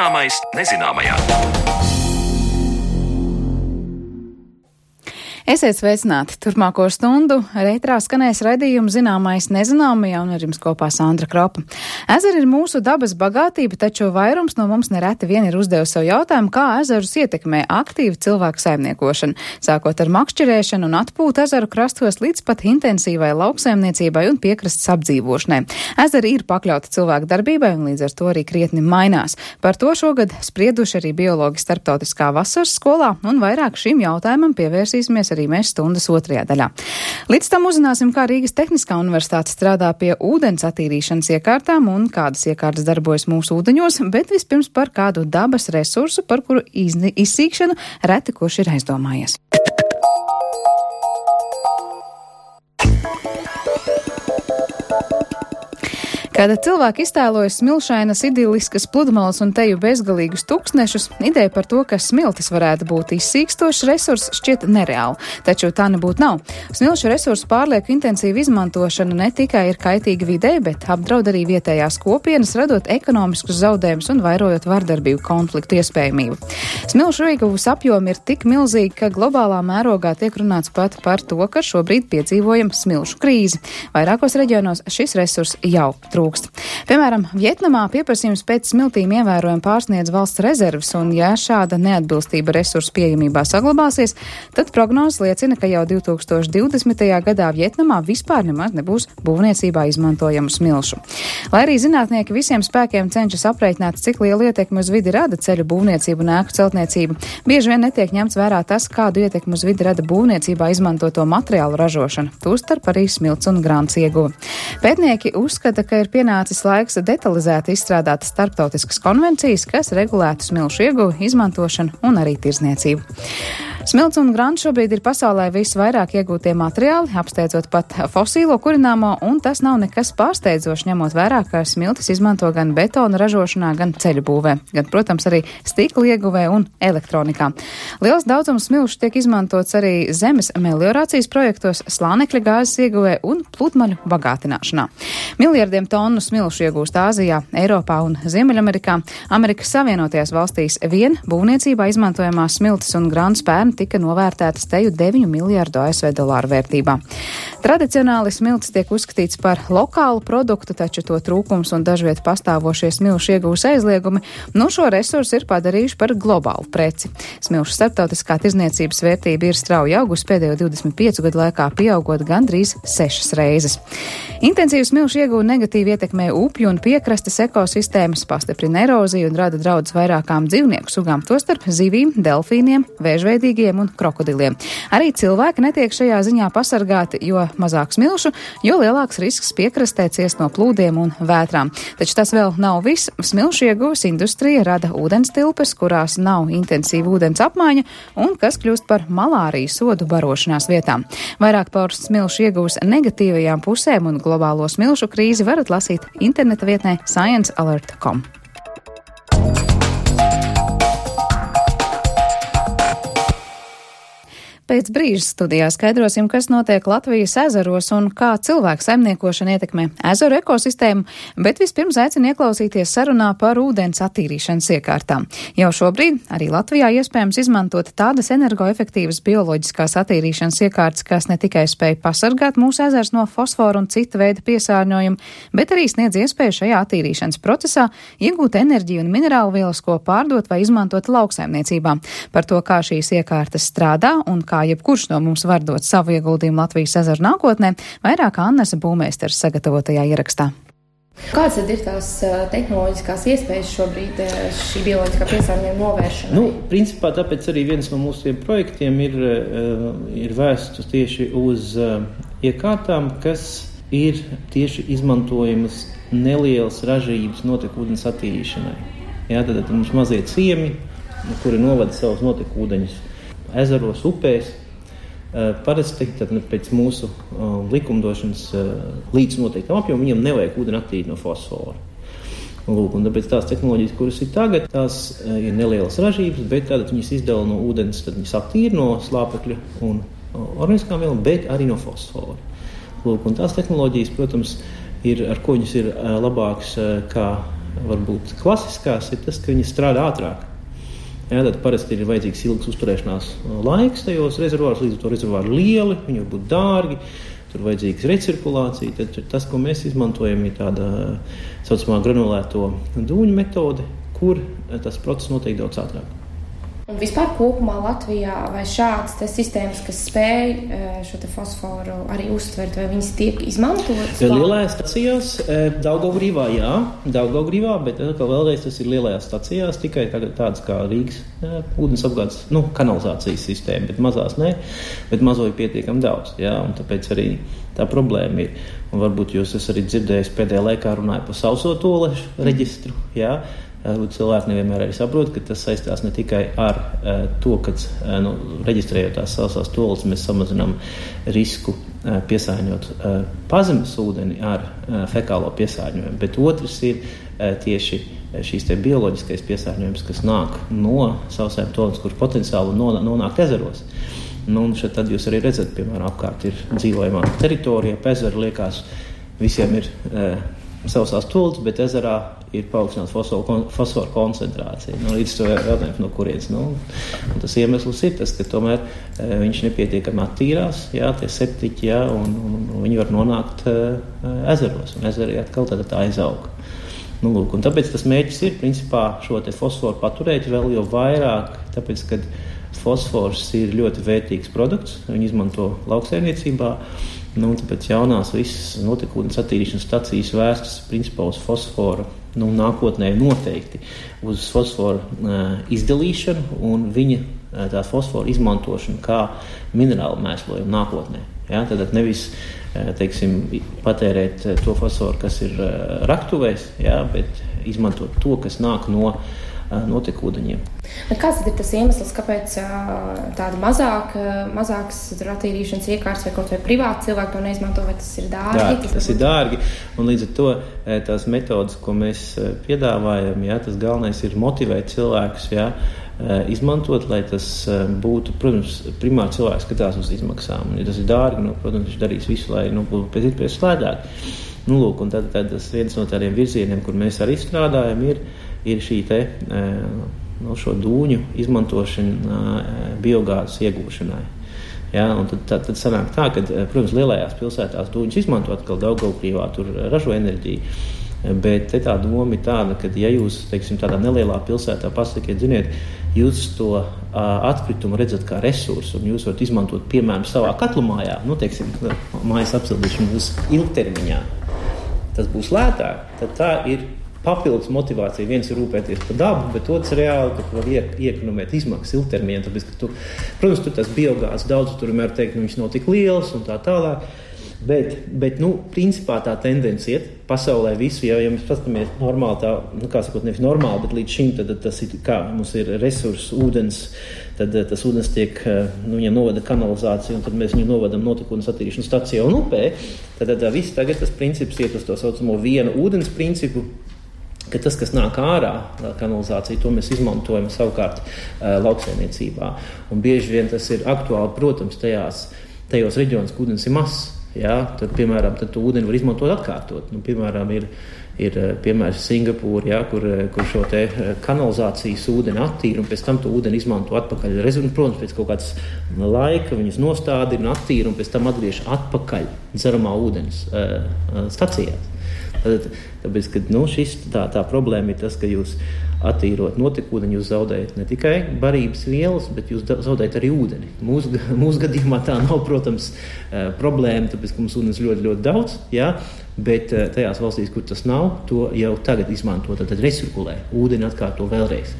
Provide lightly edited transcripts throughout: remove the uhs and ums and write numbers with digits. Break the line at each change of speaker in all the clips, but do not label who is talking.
Zināmais nezināmajā.
Esiet sveicināti! Turpmāko stundu ētrā skanēs raidījums Zināmais nezināmajā, un ar jums kopā Sandra Kropa. Ezeri ir mūsu dabas bagātība, taču vairums no mums nereti vien ir uzdevusi sev jautājumu, kā ezerus ietekmē aktīva cilvēku saimniekošana, sākot ar makšķerēšanu un atpūtu ezeru krastos līdz pat intensīvai lauksaimniecībai un piekrastes apdzīvošanai. Ezeri ir pakļauti cilvēku darbībai un līdz ar to arī krietni mainās. Par to šogad sprieduši arī biologi starptautiskā vasaras skolā, un vairāk šim jautājumam pievērsīsimies arī mēs stundas otrajā daļā. Līdz tam uzzināsim, kā Rīgas Tehniskā universitāte strādā pie ūdens attīrīšanas iekārtām un kādas iekārtas darbojas mūsu ūdeņos, bet vispirms par kādu dabas resursu, par kuru izsīkšanu reti kurš ir aizdomājies. Kad cilvēki iztēlojas smilšainas, idilliskas pludmales un teju bezgalīgus tūkstnešus, ideja par to, ka smiltis varētu būt izsīkstošs resurss, šķiet nereāli. Taču tā nebūtu nav. Smilšu resursu pārlieku intensīva izmantošana ne tikai ir kaitīga videi, bet apdraud arī vietējās kopienas, radot ekonomiskus zaudējumus un vairojot vardarbību konfliktu iespējamību. Smilšu ieguvas apjomi ir tik milzīgi, ka globālā mērogā tiek runāts pat par to, ka šobrīd piedzīvojam smilšu krīzi. Vairākos reģionos šis resurs jau trūkst. Piemēram, Vjetnamā pieprasījums pēc smiltīm ievērojami pārsniedz valsts rezerves, un ja šāda neatbilstība resursu pieejamībā saglabāsies, tad prognozes liecina, ka jau 2020. gadā Vjetnamā vispār nemaz nebūs būvniecībā izmantojamu smilšu. Lai arī zinātnieki visiem spēkiem cenšas aprēķināt, cik lielu ietekmi uz vidi rada ceļu būvniecību un ēku celtniecību, bieži vien netiek ņemts vērā tas, kādu ietekmi uz vidi rada būvniecībā izmantoto materiālu ražošana, tostarp arī smilts un grāns ieguve. Pētnieki uzskata, ka ir pienācis laiks detalizēti izstrādāt starptautiskas konvencijas, kas regulētu smilšu ieguvi, izmantošanu un arī tirzniecību. Smilts un grants šobrīd ir pasaulē visvairāk iegūtie materiāli, apsteidzot pat fosīlo kurināmo, un tas nav nekas pārsteidzošs, ņemot vērā, ka smiltis izmanto gan betona ražošanā, gan ceļu būvē, gan, protams, arī stikla ieguvē un elektronikā. Liels daudzums smilšu tiek izmantots arī zemes meliorācijas projektos, slānekļa gāzes ieguvē un pludmaļu bagātināšanā. Miljardiem tonu smilšu iegūst Āzijā, Eiropā un Ziemeļamerikā. Amerikas Savienotajās valstīs vien būvniecībā izmantojamās smiltis un grants pērn tika novērtētas teju 9 miljārdu ASV dolāru vērtībā. Tradicionāli smiltis tiek uzskatīts par lokālu produktu, taču to trūkums un dažviet pastāvošie smilšu iegūs aizliegumi šo resursu ir padarījuši par globālu preci. Smilšu starptautiskā tirzniecības vērtība ir strauji augusi pēdējo 25 gadu laikā, pieaugot gandrīz 6 reizes. Intensīvu smilšu ieguve negatīvi ietekmē upju un piekrastes ekosistēmas, pastiprina eroziju un rada draudus vairākām dzīvnieku sugām, tostarp zivīm, delfīniem, vēžveidīgiem un krokodiliem. Arī cilvēki netiek šajā ziņā pasargāti, jo mazāk smilšu, jo lielāks risks piekrastē ciest no plūdiem un vētrām. Taču tas vēl nav viss. Smilšu ieguves industrija rada ūdens tilpes, kurās nav intensīva ūdens apmaiņa un kas kļūst par malārijas sodu barošanās vietām. Vairāk par smilšu ieguves negatīvajām pusēm un globālo smilšu krīzi varat lasīt interneta vietnē sciencealert.com. Pēc brīža studijā skaidrosim, kas notiek Latvijas ezeros un kā cilvēku saimniekošana ietekmē ezeru ekosistēmu, bet vispirms aicinu ieklausīties sarunā par ūdens attīrīšanas iekārtām. Jau šobrīd arī Latvijā iespējams izmantot tādas energoefektīvas bioloģiskās attīrīšanas iekārtas, kas ne tikai spēj pasargāt mūsu ezers no fosforu un cita veida piesārņojumu, bet arī sniedz iespēju šajā attīrīšanas procesā iegūt enerģiju un minerālu vielas, ko pārdot vai izmantot lauksaimniecībā. Par to, kā šīs iekārtas strādā un kā jebkurš no mums var dot savu ieguldījumu Latvijas ezeru nākotnē, vairāk Annas Būmeisters sagatavotajā ierakstā.
Kādas tad ir tās tehnoloģiskās iespējas šobrīd šī bioloģiskā piesārņojuma novēršanai?
Principā tāpēc arī viens no mūsu projektiem ir vērsts tieši uz iekārtām, kas ir tieši izmantojamas nelielas ražības notekūdens attīrīšanai. Tad mums mazie ciemi, kuri novada savus notekūdeņus ezeros, upēs. Parasti pēc mūsu likumdošanas līdz noteiktam apjomam viņam nevajag ūdeni attīrīt no fosfora. Un tāpēc tās tehnoloģijas, kuras ir tagad, tās ir nelielas ražības, bet tātad viņas izdala no ūdens, tad viņas attīra no slāpekļa un organiskām vielām, bet arī no fosfora. Un tās tehnoloģijas, protams, ar ko viņas ir labākas kā varbūt klasiskās, ir tas, ka viņi strādā ātrāk. Jā, tad parasti ir vajadzīgs ilgs uzturēšanās laiks tajos rezervāros, līdz to rezervāri lieli, viņi var būt dārgi, tur vajadzīgs recirkulācija. Tad tas, ko mēs izmantojam, ir tāda saucamā granulēto dūņu metode, kur tas process notiek daudz ātrāk.
Un vispār kopumā Latvijā vai šādas sistēmas, kas spēj šo te fosforu arī uztvert, vai viņas tiek izmantotas?
Lielajās stacijās, Daugavgrīvā, jā, Daugavgrīvā, bet vēlreiz tas ir lielajās stacijās, tikai tagad tādas kā Rīgas ūdens apgādes, kanalizācijas sistēma, bet mazās ne, bet mazo ir pietiekami daudz, jā, un tāpēc arī tā problēma ir. Un varbūt jūs esat arī dzirdējis pēdējā laikā runāja par sauso toalešu reģistru, jā. Cilvēki nevienmēr arī saprot, ka tas saistās ne tikai ar to, ka reģistrējot tās sausās toaletes, mēs samazinām risku piesārņot pazemes ūdeni ar fekālo piesārņojumu, bet otrs ir tieši šīs te bioloģiskais piesārņojums, kas nāk no sausajām toaletes, kur potenciāli nonāk ezeros. Un šeit tad jūs arī redzat, piemēram, apkārt ir dzīvojamā teritorija, ezeru liekas, visiem ir sausās toaletes, bet ezerā ir paaugstināta fosforu koncentrācija. Līdz to jautājums, no kurienes. Tas iemesls ir tas, ka tomēr viņš nepietiekami attīrās, jā, tie septiķi, jā, un viņi var nonākt ezeros, un ezeri atkal tad tā aizaug. Lūk, un tāpēc tas mērķis ir, principā, šo te fosforu paturēt vēl jo vairāk, tāpēc, kad fosfors ir ļoti vērtīgs produkts, viņi izmanto lauksaimniecībā, tāpēc jaunās visas notekūdens attīrīšanas stacijas vērstas principā uz fosforu, nākotnē noteikti uz fosforu izdalīšanu un viņa tā fosforu izmantošanu kā minerālu mēslojumu nākotnē. Ja? Tad nevis, teiksim, patērēt to fosforu, kas ir raktuvēs, ja? Bet izmantot to, kas nāk no notekūdeņiem.
Bet kāds ir tas iemesls, kāpēc tāda mazāks attīrīšanas iekārtas vai kaut vai privāti cilvēki to neizmanto, vai tas ir dārgi?
Jā, tas ir dārgi, un līdz ar to tās metodas, ko mēs piedāvājam, jā, tas galvenais ir motivēt cilvēkus, jā, izmantot, lai tas būtu, protams, primāri cilvēks skatās uz izmaksām. Ja tas ir dārgi, protams, viņš darīs visu, lai pēc iespējas slēdāk. Lūk, un tad tas viens no tādiem virzieniem, kur mēs arī strādājam, ir šī te šo dūņu izmantošana biogāzes iegūšanai. Ja, un tad sanāk tā, ka, protams, lielajās pilsētās dūņus izmanto atkal Daugavgrīvā, tur ražo enerģiju, bet te tā doma ir tāda, ka ja jūs, teiksim, tādā nelielā pilsētā pasakiet, ziniet, jūs to atkritumu redzat kā resursu, un jūs varat izmantot, piemēram, savā katlumājā, teiksim, mājas apsildīšanu uz ilgtermiņā. Tas būs lētāk, tad tā ir papildus motivācija. Viens ir rūpēties par dabu, bet otrs reāli, ka var iekonomēt izmaksas ilgtermiņā, tāpēc, ka protams, tur tas biogāzes daudz, tur vienmēr teikt, viņš nav tik liels un tā tālāk, bet principā tā tendence iet pasaulē visu, ja mēs paskatāmies normāli tā, kā sakot, nevis normāli, bet līdz šim, tad tas ir kā, mums ir resurss, ūdens, tad tas ūdens tiek, viņam novada kanalizāciju, un tad mēs viņu novadam notekūdens attīrīšanas stacijā un upē, tad viss tagad tas princips iet uz to saucamo vienu ūdens principu, ka tas, kas nāk ārā, kanalizācija, to mēs izmantojam savukārt lauksaimniecībā. Un bieži vien tas ir aktuāli, protams, tajos reģionos, kur ūdens ir mazs. Ja? Tad, piemēram, tad to ūdeni var izmantot atkārtot. Piemēram, ir piemērs Singapūra, ja? kur šo te kanalizācijas ūdeni attīra un pēc tam to ūdeni izmanto atpakaļ. Protams, pēc kaut kāds laika viņas nostādina un attīra un pēc tam atgriež atpakaļ dzeramā ūdens stacijās. Tāpēc, ka tā problēma ir tas, ka jūs attīrot notekūdeni, jūs zaudējat ne tikai barības vielas, bet jūs zaudējat arī ūdeni. Mūsu gadījumā tā nav, protams, problēma, tāpēc, ka mums ūdens ļoti, ļoti daudz, jā, bet tajās valstīs, kur tas nav, to jau tagad izmanto, tad recirkulē, ūdeni atkārto vēlreiz.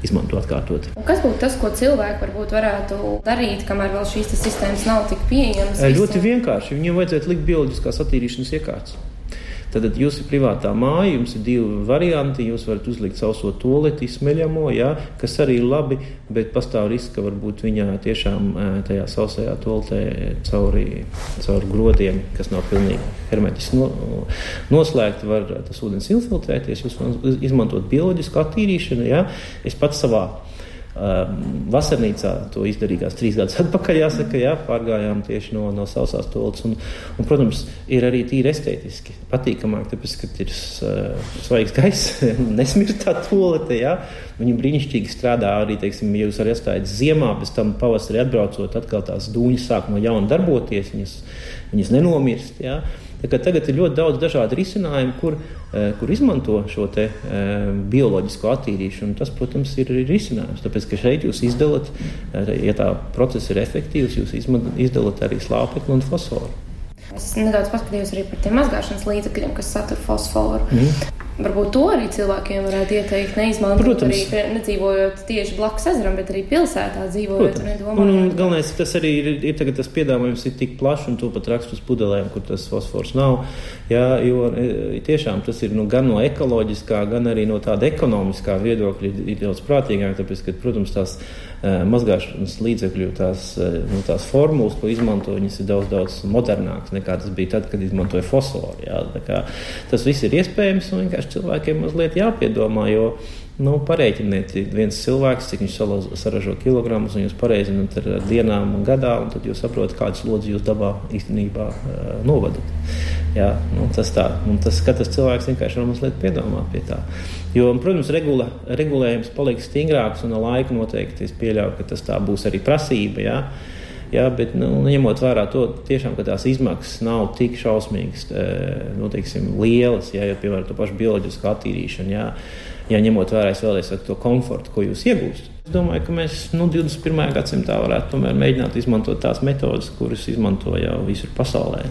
Izmanto atkārtot.
Un kas būtu tas, ko cilvēki varbūt varētu darīt, kamēr vēl šīs sistēmas nav tik pieejamas?
Ļoti vienkārši. Viņiem vajadzētu likt bioloģiskās attīrīšanas iekārtas. Tad jūs ir privātā māja, jums ir divi varianti, jūs varat uzlikt sauso toaleti, smeļamo, jā, kas arī ir labi, bet pastāv risks, ka varbūt viņā tiešām tajā sausajā toaletē caur grodiem, kas nav pilnīgi hermetiski noslēgti, var tas ūdens infiltrēties, jūs varat izmantot bioloģisku attīrīšanu, jā. Es pats savā vasarnīcā, to izdarīgās 3 gadus atpakaļ, jāsaka, pārgājām tieši no sausās toaletes. Un, protams, ir arī tīri estētiski patīkamāk, tāpēc, ka ir svaigs gaiss, nesmirst tā toalete, Viņi brīnišķīgi strādā arī, teiksim, ja jūs arī atstājat ziemā, bez tam pavasarī atbraucot, atkal tās dūņas sāk no jauna darboties, viņas nenomirst, Tā kā tagad ir ļoti daudz dažādu risinājumu, kur izmanto šo te bioloģisko attīrīšanu. Tas, protams, ir risinājums, tāpēc, ka šeit jūs izdalat, ja tā procesa ir efektīvs, jūs izdalat arī slāpekli un fosforu.
Es nedaudz paskatījos arī par tiem mazgāšanas līdzekļiem, kas satur fosforu. Varbūt to arī cilvēkiem varētu ieteikt neizmantot. Protams. Arī nedzīvojot tieši blakus ezeram, bet arī pilsētā dzīvojot.
Un galvenais, tas arī ir tagad tas piedāvājums ir tik plašs un to pat rakst uz pudelēm, kur tas fosfors nav. Jo tiešām tas ir gan no ekoloģiskā, gan arī no tāda ekonomiskā viedokļa ir daudz prātīgāk, tāpēc, ka, protams, tās mazgāšanas līdzekļu, tās formulas, ko izmanto, viņas ir daudz modernākas nekā tas bija tad, kad izmantoja fosforu. Tas viss ir iespējams un vienkārši cilvēkiem mazliet jāpiedomā, jo pareiķiniet viens cilvēks, cik viņš saražo kilogramus, un jūs pareizināt ar dienām un gadā, un tad jūs saprotat, kādas lodzes jūs dabā īstenībā novadat. Tas tā. Un tas katrs cilvēks vienkārši var mazliet piedomāt pie tā. Jo, protams, regulējums paliek stingrāks, un ar laiku noteikti es pieļauju, ka tas tā būs arī prasība, bet ņemot vērā to tiešām, ka tās izmaksas nav tik šausmīgas, lielas, jo, piemēram, to pašu bioloģisku attīrīšanu, ņemot vērā, es vēlreiz saku, to komfortu, ko jūs iegūstat. Es domāju, ka mēs 21. gadsimtā varētu tomēr mēģināt izmantot tās metodas, kuras izmanto jau visur pasaulē.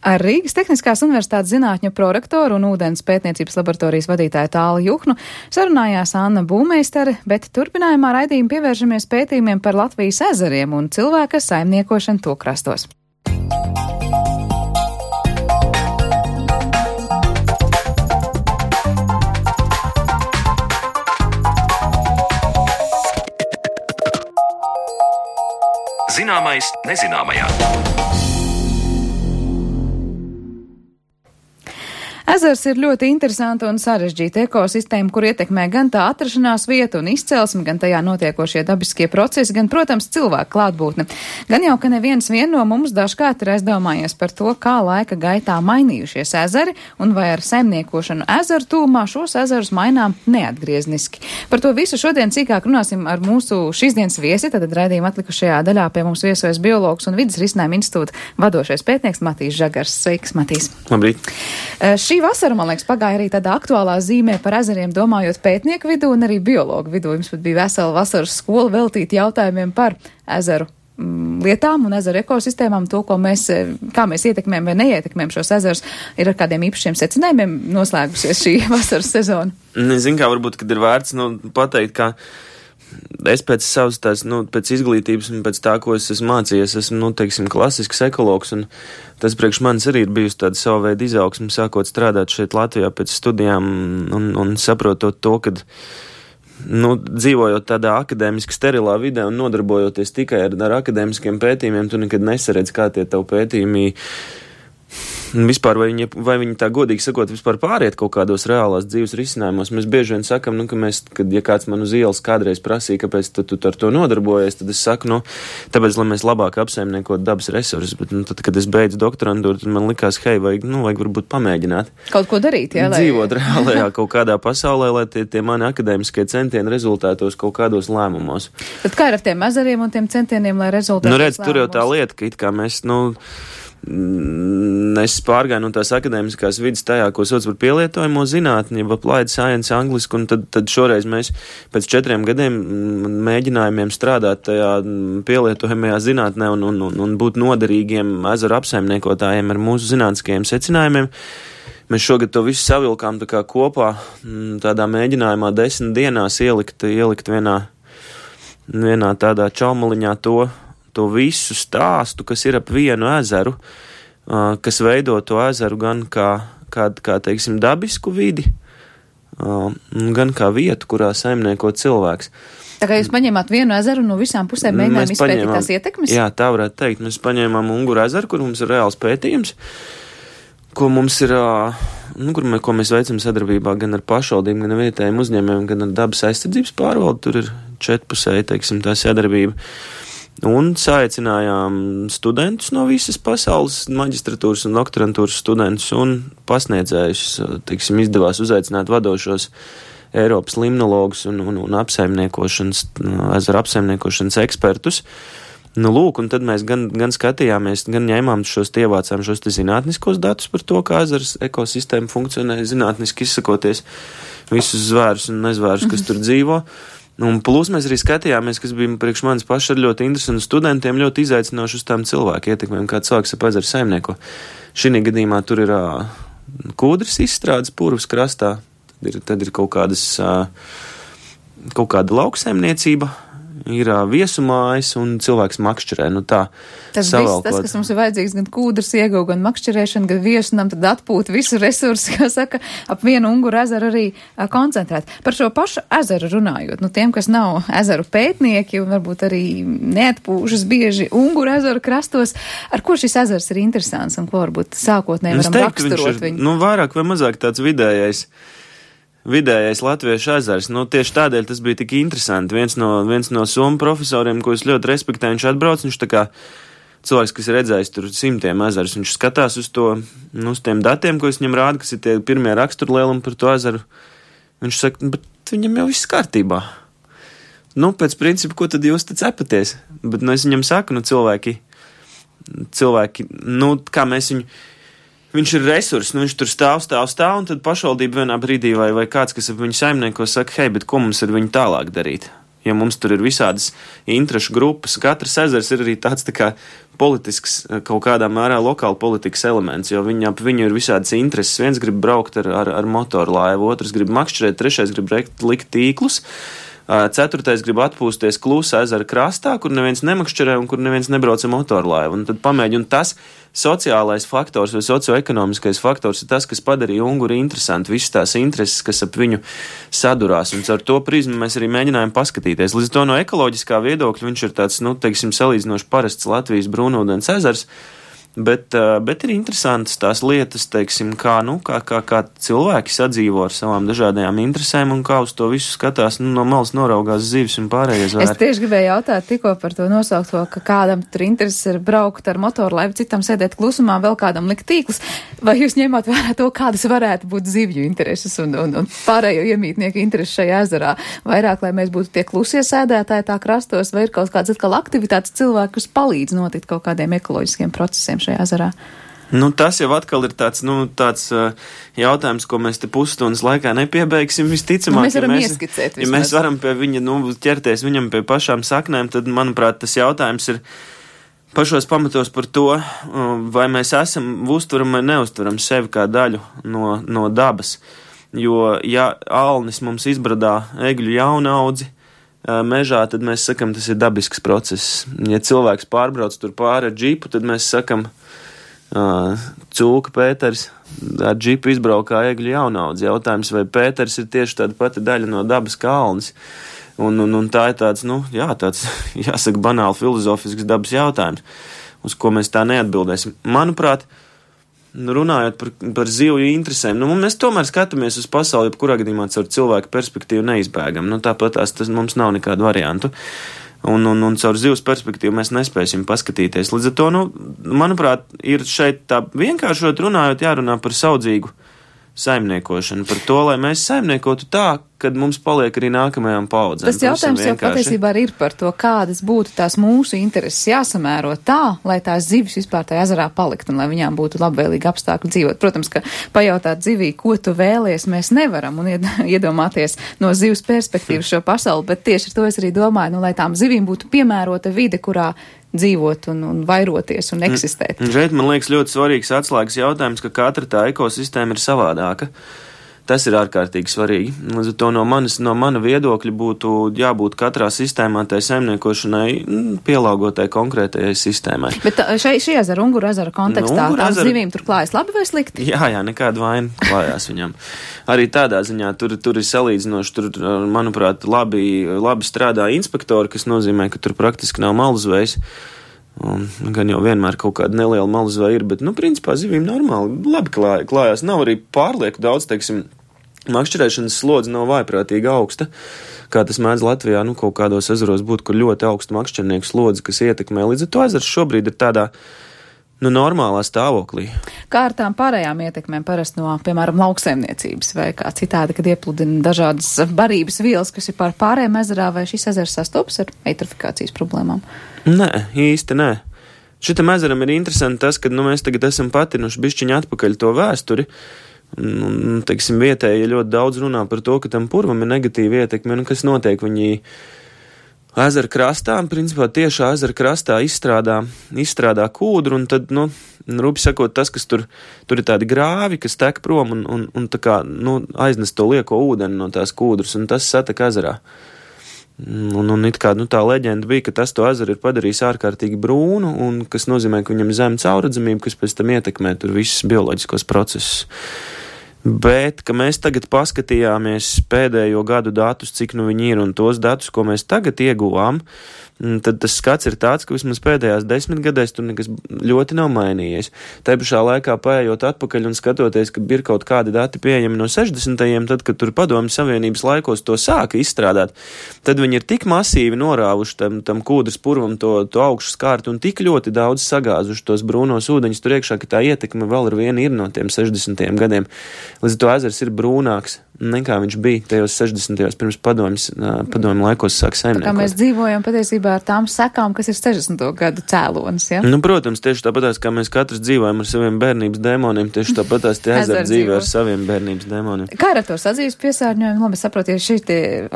Ar Rīgas Tehniskās universitātes zinātņu prorektoru un ūdens pētniecības laboratorijas vadītāju Tāli Juhnu sarunājās Anna Būmeistere, bet turpinājumā raidījuma pievēršamies pētījumiem par Latvijas ezeriem un cilvēka saimniekošanu to krastos.
Zināmais nezināmajā.
Ezers ir ļoti interesanta un sarežģīta ekosistēma, kur ietekmē gan tā atrašanās vieta un izcelsme, gan tajā notiekošie dabiskie procesi, gan, protams, cilvēku klātbūtne. Gan jau, ka neviens no mums dažkārt ir aizdomājies par to, kā laika gaitā mainījušies ezeri un vai ar saimniekošanu ezeru tūmā šos ezerus mainām neatgriezniski. Par to visu šodien cīkāk runāsim ar mūsu šīsdienas viesi, tad raidījuma atlikušajā daļā pie mums viesojas biologs un vidas risinājuma institūta vadošais pētnieks Matīs Žagars. Sveiks, Matīs!
Labrīt!
Šī vasara, man liekas, pagāja arī tādā aktuālā zīmē par ezeriem, domājot pētnieku vidū un arī biologu vidū. Jums pat bija vesela vasaras skola veltīta jautājumiem par ezeru lietām un ezeru ekosistēmām, to, kā mēs ietekmējam vai neietekmējam šos ezerus. Ir ar kādiem īpašiem secinājumiem noslēgusies šī vasaras sezona?
Zinu, kā varbūt, kad ir vērts pateikt, ka es pēc savas pēc izglītības un pēc tā, ko es esmu mācījies, esmu, klasisks ekologs, un tas priekš manis arī ir bijusi tāda sava veida izaugsme, sākot strādāt šeit Latvijā pēc studijām un saprotot to, kad, dzīvojot tādā akadēmiski sterilā vidē un nodarbojoties tikai ar akadēmiskiem pētījumiem, tu nekad nesaredz, kā tie tavu pētījumi vispār, vai viņi tā godīgi sakot, vispār pāriet kaut kādos reālās dzīves risinājumos. Mēs bieži vien sakam, ja kāds man uz ielas kādreiz prasīja, kāpēc tu ar to nodarbojies, tad es saku, tāpēc, lai mēs labāk apsaimniekot dabas resursus, bet tad, kad es beidzu doktorantūru, tad man likās, vajag varbūt pamēģināt.
Kaut ko darīt, jā?
Dzīvot reālajā kaut kādā pasaulē, lai tie mani akadēmiskie centieni rezultētos kaut kādos lēmumos.
Tad kā ir ar tiem ezeriem un tiem centieniem, lai rezultētos lēmumos?
Tur jau tā lieta, ka it kā mēs, es pārgāju no tās akadēmiskās vidas tajā, ko sauc par pielietojamo zinātni, applied science angliski, un tad šoreiz mēs pēc 4 gadiem mēģinājumiem strādāt tajā pielietojamajā zinātnē un būt noderīgiem ezeru apsaimniekotājiem ar mūsu zinātniskajiem secinājumiem. Mēs šogad to visu savilkām tā kā kopā, tādā mēģinājumā 10 dienās ielikt vienā tādā čaumaliņā to visu stāstu, kas ir ap vienu ezeru, kas veido to ezeru gan kā teiksim, dabisku vidi, gan kā vietu, kurā saimnieko cilvēks.
Tā kā jūs paņēmāt vienu ezeru no visām pusēm, mēģinājām izpētīt tās ietekmes?
Jā, tā varētu teikt. Mēs paņēmām Unguru ezeru, kur mums ir reāls pētījums, ko mums ir, ko mēs veicam sadarbībā gan ar pašvaldību, gan ar vietējiem uzņēmējiem, gan ar dabas aizsardzības pārvaldi. Tur ir 4pusēji, teiksim, tā sadarbība. Un saaicinājām studentus no visas pasaules, maģistratūras un doktorantūras studentus un pasniedzējus, teiksim, izdevās uzaicināt vadošos Eiropas limnologus un apsaimniekošanas, ezeru apsaimniekošanas ekspertus. Lūk, un tad mēs gan skatījāmies, gan ņēmām ievācām šos zinātniskos datus par to, kā ezers ekosistēma funkcionē, zinātniski izsakoties visus zvērus un nezvērus, kas tur dzīvo. Un plus mēs arī skatījāmies, kas bija priekš manis paši ar ļoti interesantu studentiem, ļoti izaicinoši uz tām cilvēku ietekmēm, kā cilvēks ap ezeru saimnieko. Šī gadījumā tur ir kūdras izstrādes Purvas krastā, tad ir kaut kāda lauksaimniecība, ir viesumājas un cilvēks makšķerē.
Tas viss, tas, kas mums ir vajadzīgs, gan kūdras ieguva, gan makšķerēšana, gan viesunam, tad atpūt visu resursu, kā saka, ap vienu Unguru ezeru arī koncentrēt. Par šo pašu ezeru runājot, tiem, kas nav ezeru pētnieki un varbūt arī neatpūšas bieži Unguru ezeru krastos, ar ko šis ezers ir interesants un ko varbūt sākotnēji varam raksturot viņu?
Vairāk vai mazāk tāds vidējais latviešu ezers. Tieši tādēļ tas bija tik interesanti. Viens no somu profesoriem, ko es ļoti respektēju, viņš atbrauc, viņš tā kā cilvēks, kas ir redzējis tur 100 ezerus, viņš skatās uz to, uz tiem datiem, ko es viņam rādu, kas ir tie pirmie raksturlielumi par to ezeru. Viņš saka, bet viņam jau viss kārtībā. Pēc principa, ko tad jūs te cepaties? Bet, es viņam saku, cilvēki, kā mēs viņu, viņš ir resurs, viņš tur stāv, un tad pašvaldība vienā brīdī vai kāds, kas ap viņu saimnieko, saka, hei, bet ko mums ar viņu tālāk darīt? Ja mums tur ir visādas interešu grupas, katrs ezers ir arī tāds tā kā politisks, kaut kādā mērā lokāla politikas elements, jo ap viņu ir visādas intereses. Viens grib braukt ar motoru laivu, otrs grib makšķerēt, trešais grib likt tīklus, ceturtais grib atpūsties Klusa ezera krastā, kur neviens nemakšķerē un kur neviens nebrauc ar motorlaivu. Un tad pamēģi, un tas sociālais faktors vai socioekonomiskais faktors ir tas, kas padarīja Unguru interesanti, visas tās intereses, kas ap viņu sadurās, un ar to prizmu mēs arī mēģinājām paskatīties. Līdz to no ekoloģiskā viedokļa viņš ir tāds, salīdzinoši parasts Latvijas brūnūdens ezers, bet ir interesantas tās lietas, teiksim, kā cilvēki sadzīvo ar savām dažādajām interesēm un kā uz to visu skatās, no malas noraugās zivis un pārējie zvēri.
Es tieši gribēju jautāt tikko par to nosaukto, ka kādam tur intereses ir braukt ar motorlaivu, citam sēdēt klusumā, vēl kādam likt tīklus. Vai jūs ņemat vērā to, kādas varētu būt zivju intereses un pārējo iemītnieku intereses šajā ezerā? Vairāk, lai mēs būtu tie klusie sēdētāji tā krastos, vai ir kaut kāds atkal aktivitātes cilvēki, kas palīdz notikt kaut kādiem ekoloģiskiem procesiem šajā ezerā?
Tas jau atkal ir tāds jautājums, ko mēs te pusstundas laikā nepiebeigsim. Visticamāk,
mēs varam ieskicēt vismaz.
Ja mēs varam pie viņa, ķerties viņam pie pašām saknēm, tad, manuprāt, tas jautājums ir pašos pamatos par to, vai mēs uztveram vai neuztveram sevi kā daļu no dabas. Jo, ja alnis mums izbradā egļu jaunaudzi mežā, tad mēs sakam, tas ir dabisks process. Ja cilvēks pārbrauc tur pāri ar džipu, tad mēs sakam, Cūka Pēters ar džipu izbraukā egļu jaunaudzi. Jautājums, vai Pēters ir tieši tāda pati daļa no dabas kā alnis. Un tā ir tāds, tāds, jāsaka, banāli filozofisks dabas jautājums, uz ko mēs tā neatbildēsim. Manuprāt, runājot par zivju interesēm, mēs tomēr skatāmies uz pasauli, jebkurā gadījumā caur cilvēku perspektīvu neizbēgam. Tāpat tas mums nav nekādu variantu. Un caur zivs perspektīvu mēs nespēsim paskatīties. Līdz ar to, manuprāt, ir šeit tā vienkāršot runājot jārunā par saudzīgu saimniekošanu, par to, lai mēs saimniekotu tā, kad mums paliek arī nākamajām paudzēm.
Tas jautājums jau patiesībā arī ir par to, kādas būtu tās mūsu intereses jāsamēro tā, lai tās zivis vispār tajā ezerā palikt un lai viņām būtu labvēlīgi apstākļi dzīvot. Protams, ka pajautāt zivī, ko tu vēlies, mēs nevaram un iedomāties no zivs perspektīvas šo pasauli, bet tieši ar to es arī domāju, lai tām zivīm būtu piemērota vide, kurā dzīvot un vairoties un eksistēt.
Šeit man liekas ļoti svarīgs atslēgas jautājums, ka katra tā ekosistēma ir savādāka. Tas ir ārkārtīgi svarīgi. Līdz ar to no mana viedokļa būtu jābūt katrā sistēmā tai saimniekošanai pielāgotai konkrētajai sistēmai.
Bet šī ezera, Unguru ezera kontekstā, tām zivīm tur klājas labi vai slikti?
Jā, nekāda vaina klājās viņam. Arī tādā ziņā tur ir salīdzinoši, tur, manuprāt, labi strādā inspektori, kas nozīmē, ka tur praktiski nav malzvejas. Gan jau vienmēr kaut kāda neliela malzva ir, bet, principā zivīm normāli labi klājās. Nav arī pārlieku daudz, teiksim, makšķerēšanas slodze nav vaiprātīgi augsta, kā tas mēdz Latvijā, kaut kādos ezeros būt, kur ļoti augsta makšķernieku slodze, kas ietekmē. Līdz ar to ezers šobrīd ir tādā, normālā stāvoklī.
Kā ar tām pārējām ietekmēm parasti no, piemēram, lauksaimniecības vai kā citādi, kad iepludina dažādas barības vielas, kas ir pār pārējām ezerā, vai šis ezers sastopas ar eitrofikācijas problēmām?
Nē, īsti nē. Šitam ezeram ir interesanti tas, ka mēs tagad esam patinuši bišķiņu atpakaļ to vēsturi. Teiksim, vietēji ļoti daudz runā par to, ka tam purvam ir negatīva ietekme, un kas notiek, viņi ezera krastā, principā tiešā ezera krastā izstrādā kūdru, un tad, rupi sakot, tas, kas tur ir tādi grāvi, kas tek prom un tā kā, aiznes to lieko ūdeni no tās kūdras, un tas satek ezerā. Un it kā, tā leģenda bija, ka tas to ezeru ir padarījis ārkārtīgi brūnu, un kas nozīmē, ka viņam zem caurredzamība, kas pēc tam ietekmē tur visus bioloģiskos procesus. Bet, ka mēs tagad paskatījāmies pēdējo gadu datus, cik viņi ir, un tos datus, ko mēs tagad ieguvām, tad tas skats ir tāds, ka vismaz pēdējās 10 gadēs tur nekas ļoti nav mainījies. Tā pašā laikā paējot atpakaļ un skatoties, ka ir kaut kādi dati pieejami no 60. tad, kad tur Padomju Savienības laikos to sāka izstrādāt, tad viņi ir tik masīvi norāvuši tam kūdras purvam to augšu skārtu un tik ļoti daudz sagāzuši tos brūnos ūdeņus tur iekšā, ka tā ietekme vēl ar vienu ir no tiem 60. gadiem. Līdz to ezers ir brūnāks nekā viņš bija tajos 60. pirms padomju laikos sāk saimniekot.
Tā kā mēs dzīvojam patiesībā ar tām sekām, kas ir 60. gadu cēlonis, ja?
Protams, tieši tāpatās, kā mēs katrs dzīvojam ar saviem bērnības dēmoniem, tieši tāpatās tie ezeri dzīvo ar saviem bērnības dēmoniem.
Kā ar to sadzīves piesārņojumu? Labi, saprotu, ja šī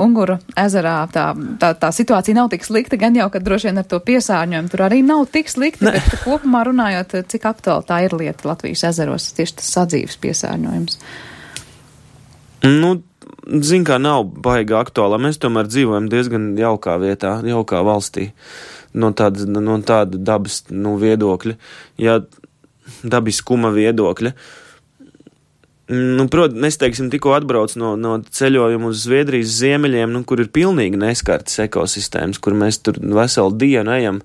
Unguru ezerā tā situācija nav tik slikta, gan jau, ka droši vien ar to piesārņojumu tur arī nav tik slikta, bet kopumā runājot, cik aktuāli tā ir lieta Latvijas ezeros, tieši tas sadzīves piesārņojums.
Zin kā nav baigā aktuālā. Mēs tomēr dzīvojam diezgan jaukā vietā, jaukā valstī. No tāda dabas viedokļa, ja dabiskuma viedokļa. Protams, es teiksim, tikko atbrauc no ceļojuma uz Zviedrijas ziemeļiem, kur ir pilnīgi neskartas ekosistēmas, kur mēs tur veselu dienu ejam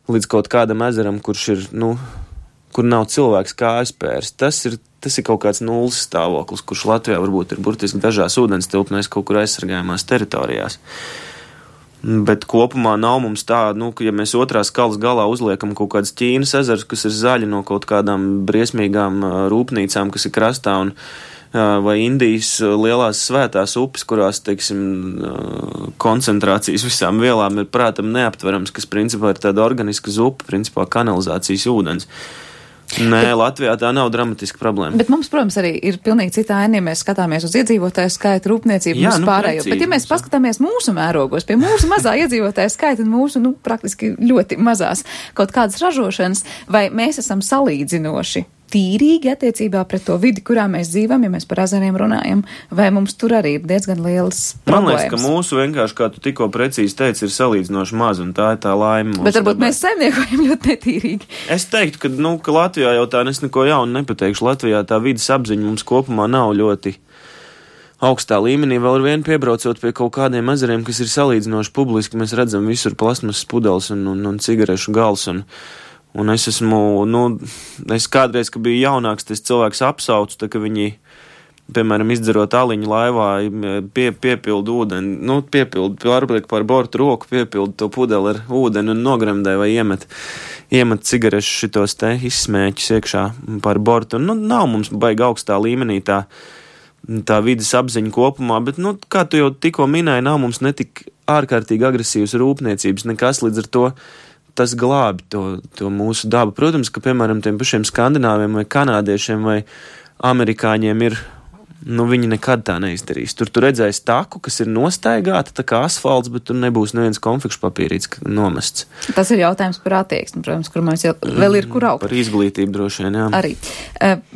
līdz kaut kādam ezeram, kurš ir, kur nav cilvēks kājaspērs. Tas ir kaut kāds nulles stāvoklis, kurš Latvijā varbūt ir burtiski dažās ūdens tilpnēs kaut kur aizsargājumās teritorijās. Bet kopumā nav mums tā, ka ja mēs otrā skalas galā uzliekam kaut kādas Ķīnas ezers, kas ir zaļi no kaut kādām briesmīgām rūpnīcām, kas ir krastā, vai Indijas lielās svētās upes, kurās, teiksim, koncentrācijas visām vielām ir prātam neaptverams, kas principā ir tāda organiska zupa, principā kanalizācijas ūdens. Nē, Latvijā tā nav dramatiska problēma.
Bet mums, protams, arī ir pilnīgi cita aina, ja mēs skatāmies uz iedzīvotāju skaitu, rūpniecību, mūsu pārējo. Bet ja mēs paskatāmies mūsu mērogos, pie mūsu mazā iedzīvotāju skaita un mūsu, praktiski ļoti mazās kaut kādas ražošanas, vai mēs esam salīdzinoši tīrīgi attiecībā pret to vidi, kurā mēs dzīvam, ja mēs par ezeriem runājam, vai mums tur arī ir diezgan lielas problēmas?
Man liekas, ka mūsu vienkārši, kā tu tikko precīzi teici, ir salīdzinoši maz, un tā ir tā laime.
Bet varbūt mēs saimniekojam ļoti netīrīgi.
Es teiktu, ka Latvijā jau tā es neko jaunu nepateikšu. Latvijā tā vidas apziņa mums kopumā nav ļoti augstā līmenī. Vēl ar vienu piebraucot pie kaut kādiem ezeriem, kas ir salīdzinoši publiski, mēs redzam visur plasmasas pudeles un cigarešu gals, un es esmu, es kādreiz, kad biju jaunāks, tas cilvēks apsaucu, tā ka viņi, piemēram, izdzerot aliņu laivā, piepildu ūdeni, pārliek pār bortu roku, piepildu to pudeli ar ūdeni un nogremdē vai iemet cigarešu šitos te izsmēķus iekšā pār bortu. Nav mums baigi augstā līmenī tā vidas apziņa kopumā, bet, kā tu jau tikko minēji, nav mums netik ārkārtīgi agresīvas rūpniecības, nekas līdz ar to. Tas glābi to mūsu dabu. Protams, ka, piemēram, tiem pašiem skandināviem vai kanādiešiem vai amerikāņiem ir, viņi nekad tā neizdarīs. Tur redzēs taku, kas ir nostaigāta, tā kā asfalts, bet tur nebūs neviens konfekšu papīrīts nomests.
Tas ir jautājums par attieksmi, protams, kur mums vēl ir kur augt.
Par izglītību droši vien, jā.
Arī.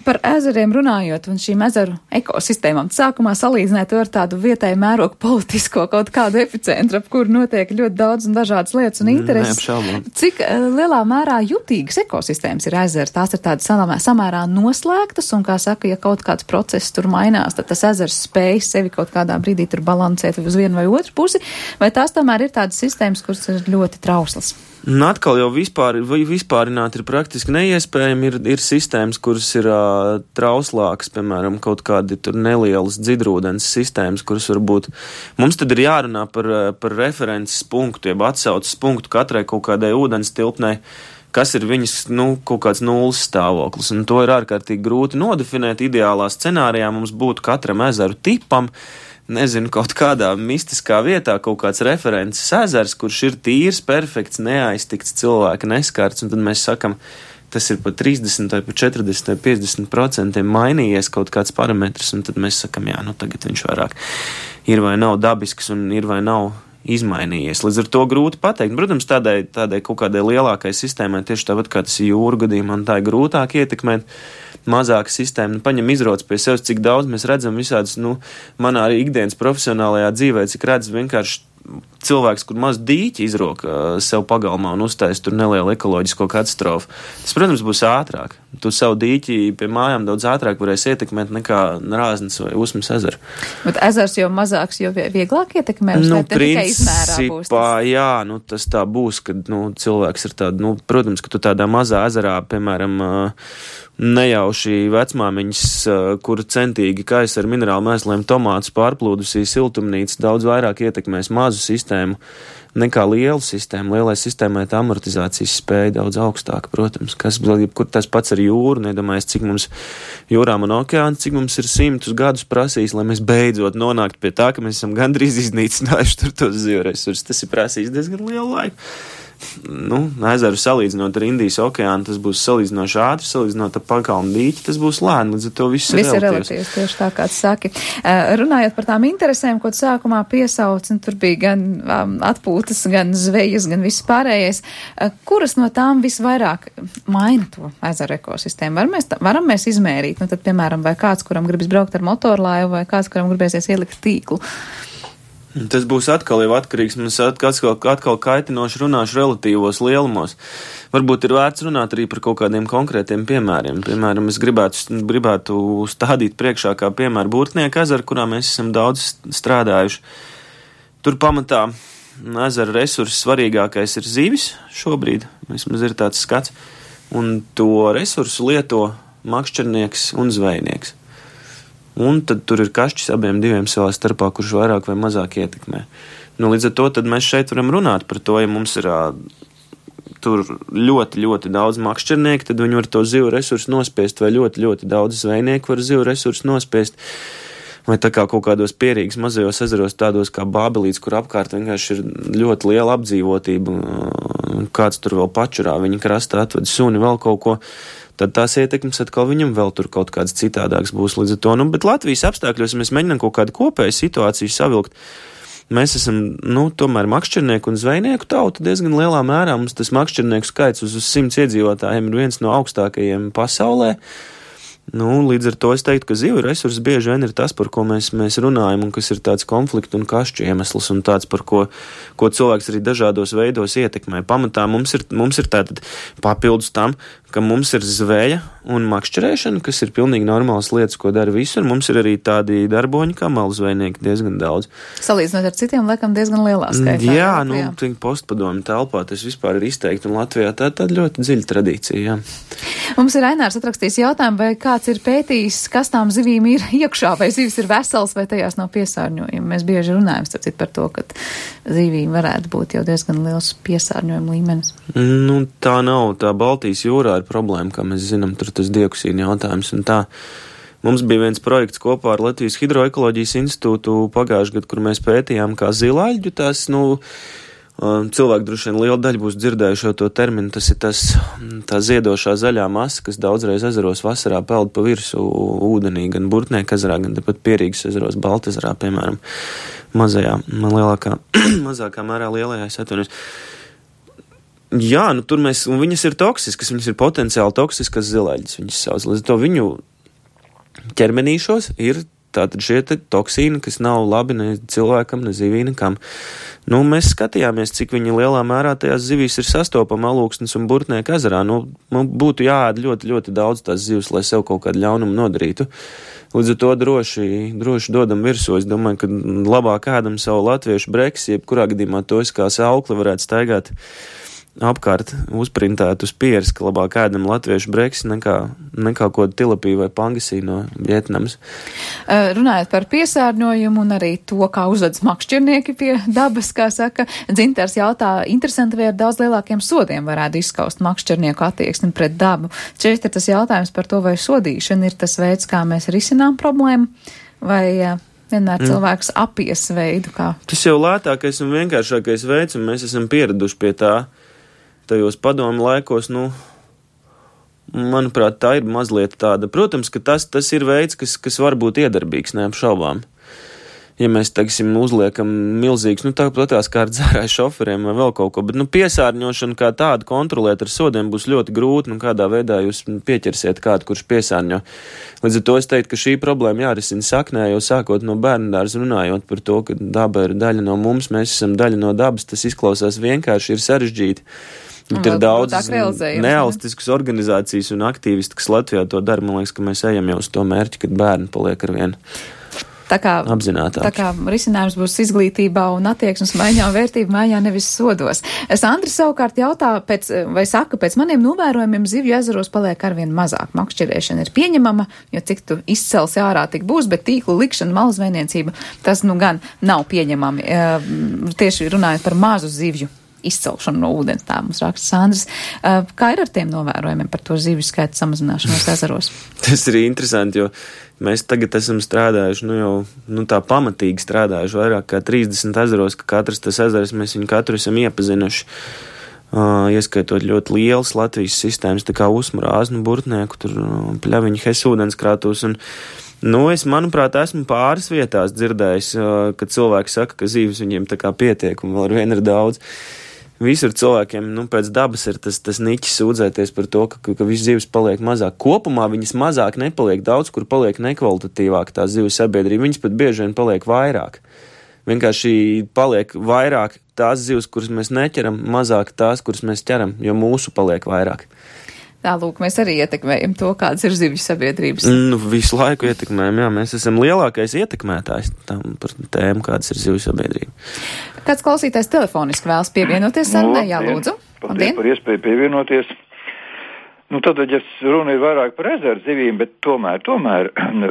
Par ezeriem runājot un šīm ezeru ekosistēmām, sākumā salīdzināt ar tādu vietēju mērogu politisko kaut kādu epicentru, ap kuru notiek ļoti daudz un dažādas lietas un intereses.
Neapšaubām.
Cik lielā mērā jutīgas ekosistēmas ir ezeri? Tās ir tādas samērā noslēgtas un, kā saka, ja kaut kāds process tur mainās, mainās, tad tas ezers spēj sevi kaut kādā brīdī tur balansēt uz vienu vai otru pusi, vai tās tomēr ir tādas sistēmas, kuras ir ļoti trauslas?
Un atkal jau vispārināt ir praktiski neiespējami, ir sistēmas, kuras ir trauslākas, piemēram, kaut kādi tur nelielas dzidrūdens sistēmas, kuras varbūt, mums tad ir jārunā par references punktu, jeb atsaucas punktu katrai kaut kādai ūdens tilpnei, kas ir viņas, kaut kāds nulles stāvoklis, un to ir ārkārtīgi grūti nodefinēt. Ideālā scenārijā mums būtu katram ezeru tipam, kaut kādā mistiskā vietā kaut kāds references ezers, kurš ir tīrs, perfekts, neaiztikts, cilvēka neskarts, un tad mēs sakam, tas ir pa 30, vai pa 40, vai 50% mainījies kaut kāds parametrs, un tad mēs sakam, tagad viņš vairāk ir vai nav dabisks, un ir vai nav izmainījies. Līdz ar to grūti pateikt. Protams, tādai kaut kādai lielākai sistēmai, tieši tāpat kā tas ir jūra gadījumā, un tā ir grūtāk ietekmēt. Mazāka sistēma, paņem izroc pie sevis, cik daudz mēs redzam visādas, manā arī ikdienas profesionālajā dzīvē, cik redz vienkārši cilvēks, kur maz dīķi izroka sev pagalmā un uztais tur nelielu ekoloģisko katastrofu. Tas, protams, būs ātrāk. Tu savu dīķi pie mājām daudz ātrāk varēsi ietekmēt nekā Rāznas vai Usmas ezeru.
Bet ezers jau mazāks, jo vieglāk ietekmē, vai tikai izmērā būs tas?
Jā, tas tā būs, kad, cilvēks ir tāda, protams, ka tu tādā mazā ezerā, piemēram, nejauši vecmāmiņas, kura centīgi kaisa ar minerālu mēsliem tomātus pārplūdusī siltumnīca, daudz vairāk ietekmēs mazu sistēmu nekā lielu sistēmu. Lielai sistēmai tā amortizācijas spēja daudz augstāka, protams. Kur tas pats ar jūru, nedomājies, cik mums jūrām un okeāns, cik mums ir 100 gadus prasījis, lai mēs beidzot nonāktu pie tā, ka mēs esam gandrīz iznīcinājuši tur tos zivresursus. Tas ir prasījis diezgan lielu laiku. Ezeru salīdzinot ar Indijas okeānu, tas būs salīdzinoši ātri, salīdzinot ar pakalnu dīķi, tas būs lēni, līdz ar to viss ir
relatīvs, tieši tā, kā tu saki. Runājot par tām interesēm, ko tu sākumā piesauc, un tur bija gan atpūtas, gan zvejas, gan viss pārējais, kuras no tām visvairāk maina to ezeru ekosistēmu? Varam mēs izmērīt, tad, piemēram, vai kāds, kuram gribas braukt ar motorlaivu, vai kāds, kuram gribēsies ielikt tīklu?
Tas būs atkal jau atkarīgs, mums atkal kaitinoši runāšu relatīvos lielumos. Varbūt ir vērts runāt arī par kaut kādiem konkrētiem piemēriem. Piemēram, es gribētu stādīt priekšā kā piemēru Burtnieku ezeru, kurā mēs esam daudz strādājuši. Tur pamatā ezera resursu svarīgākais ir zivis šobrīd, vismaz ir tāds skats, un to resursu lieto makšķernieks un zvejnieks. Un tad tur ir kašķis abiem diviem savā starpā, kurš vairāk vai mazāk ietekmē. Līdz ar to tad mēs šeit varam runāt par to, ja mums ir tur ļoti, ļoti daudz makšķernieku, tad viņi var to zivu resursu nospiest, vai ļoti, ļoti daudz zvejnieku var zivu resursu nospiest. Vai tā kā kaut kādos pierīgas mazajos ezeros, tādos kā Bābelīts, kur apkārt vienkārši ir ļoti liela apdzīvotība, kāds tur vēl pačurā, viņa krastā atved suni, vēl kaut ko. Tad tās ietekmes atkal viņam vēl tur kaut kāds citādāks būs līdz ar to. Bet Latvijas apstākļos mēs mēģinām kaut kādu kopēju situāciju savilkt. Mēs esam, tomēr makšķernieku un zvejnieku tauta diezgan lielā mērā. Mums tas makšķernieku skaits uz 100 iedzīvotājiem ir viens no augstākajiem pasaulē. Līdz ar to es teiktu, ka zivu resursi bieži vien ir tas, par ko mēs runājam, un kas ir tāds konfliktu un kašķu iemesls, un tāds, par ko cilvēks arī dažādos veidos ietekmē. Pamatā mums ir tātad papildus tam, ka mums ir zveja un makšķerēšana, kas ir pilnīgi normālas lietas, ko dara visur. Mums ir arī tādi darboņi kā malu zvejnieki diezgan daudz.
Salīdzinot ar citiem, laikam diezgan lielā skaitā.
Jā, postpadomi telpā tas vispār ir izteikti, un Latvijā tāda ļoti dziļa tradīcija, jā.
Mums ir Ainārs atrakstījis jautājumu, vai kāds ir pētījis, kas tām zivīm ir iekšā, vai zivis ir vesels, vai tajās nav piesārņojumi. Mēs bieži runājam par to, ka zivīm varētu būt jau diezgan liels piesārņojuma līmenis.
Tā nav. Tā Baltijas jūrā ir problēma, kā mēs zinām, tur tas dioksīna jautājums un tā. Mums bija viens projekts kopā ar Latvijas Hidroekoloģijas institūtu pagājušajā gadā, kur mēs pētījām kā zilaļģu tās, cilvēki droši vien liela daļa būs dzirdējuši to terminu, tas ir tā ziedošā zaļā masa, kas daudzreiz ezeros vasarā peld pa virsu ūdenī, gan Burtnieku ezerā, gan tepat Pierīgas ezeros, Baltezerā, piemēram, mazākā mērā lielajā, es atvainojos. Jā, tur un viņas ir toksiskas, viņas ir potenciāli toksiskas zilaļas, viņas sauc. Līdz to viņu ķermenīšos ir tātad šie toksīni, kas nav labi ne cilvēkam, ne zivī, nekam. Nu, mēs skatījāmies, cik viņi lielā mērā tajās zivīs ir sastopama Alūksnes un Burtnieka ezerā. Nu, man būtu jāēd ļoti, ļoti daudz tās zivs, lai sev kaut kādu ļaunumu nodarītu. Līdz ar to droši dodam virsū. Es domāju, ka labāk ēdam savu latviešu breksi, jebkurā gadījumā to es kā saukli varētu staigāt apkārt, uzprintēt uz pieres, ka labāk ēdam latviešu breksi nekā ko tilapī vai pangasī no Vietnamas.
Runājot par piesārņojumu un arī to, kā uzvedas makšķernieki pie dabas, kā saka, Dzintars jautā, interesanti, vai ar daudz lielākiem sodiem varētu izskaust makšķernieku attieksmi pret dabu. Šeit ir tas jautājums par to, vai sodīšana ir tas veids, kā mēs risinām problēmu, vai vienmēr cilvēks apies veidu, kā.
Tas jau lētākais un vienkāršākais veids, un mēs esam pieraduši pie tā. Tajos padomu laikos, manuprāt, tā ir mazliet tāda. Protams, ka tas ir veids, kas var būt iedarbīgs, neapšaubām. Ja mēs, teiksim, uzliekam milzīgs, tāpatās kā ar dzērāju šoferiem vai vēl kaut ko, bet, piesārņošana kā tādu kontrolēt ar sodiem būs ļoti grūti, kādā veidā jūs pieķersiet kādu, kurš piesārņo. Līdz ar to es teiktu, ka šī problēma jārisina saknē, jau sākot no bērndārza runājot par to, ka daba ir daļa no mums, mēs esam daļa no dabas, tas izklausās vienkārši, ir sarežģīti. Bet ir daudz nevalstiskas organizācijas un aktīvisti, kas Latvijā to dara. Man liekas, ka mēs ejam jau uz to mērķi, kad bērni paliek ar vienu apzinātāki.
Tā kā risinājums būs izglītībā un attieksmes maiņā un vērtību maiņā, nevis sodos. Sandra savukārt jautā, pēc maniem novērojumiem zivju ezeros paliek arvien mazāk. Makšķerēšana ir pieņemama, jo cik tu izcels ārā tik būs, bet tīklu likšana, malas zvejniecība, tas gan nav pieņemami. Tieši runājot par mazu zivju izcelšanu no ūdens, tā mums raksta Sandrs. Kā ir ar tiem novērojumiem par to zivju skaitu samazināšanos ezeros?
Tas ir interesanti, jo mēs tagad esam strādājuši, tā pamatīgi strādājuši vairāk kā 30 ezeros, ka katrs tas ezers, mēs viņu katru esam iepazinuši, ieskaitot ļoti lielas Latvijas sistēmas, tā kā Usmara, Āznu, Burtnieku, tur Pļaviņu, Hesu ūdenskrātos, un es, manuprāt, esmu pāris vietās dzirdējis, kad cilvēki saka, ka zīves viņiem tā kā pietiek un vēl ar vienu ir daudz. Visur cilvēkiem, pēc dabas ir tas niķis sūdzēties par to, ka viss zivs paliek mazāk. Kopumā viņas mazāk nepaliek, daudz, kur paliek nekvalitatīvāk tā zivju sabiedrība, viņas pat bieži vien paliek vairāk. Vienkārši paliek vairāk tās zivs, kuras mēs neķeram, mazāk tās, kuras mēs ķeram, jo mūsu paliek vairāk.
Tā, lūk, mēs arī ietekmējam to, kādas ir zivju sabiedrības.
Visu laiku ietekmējam, jā, mēs esam lielākais ietekmētājs par tēmu, kādas ir zivju sabiedrība.
Kāds klausītājs telefoniski vēlas pievienoties sarunai? Jā, lūdzu.
Paldies par iespēju pievienoties. Tad, ja runa ir vairāk par ezeru zivīm, bet tomēr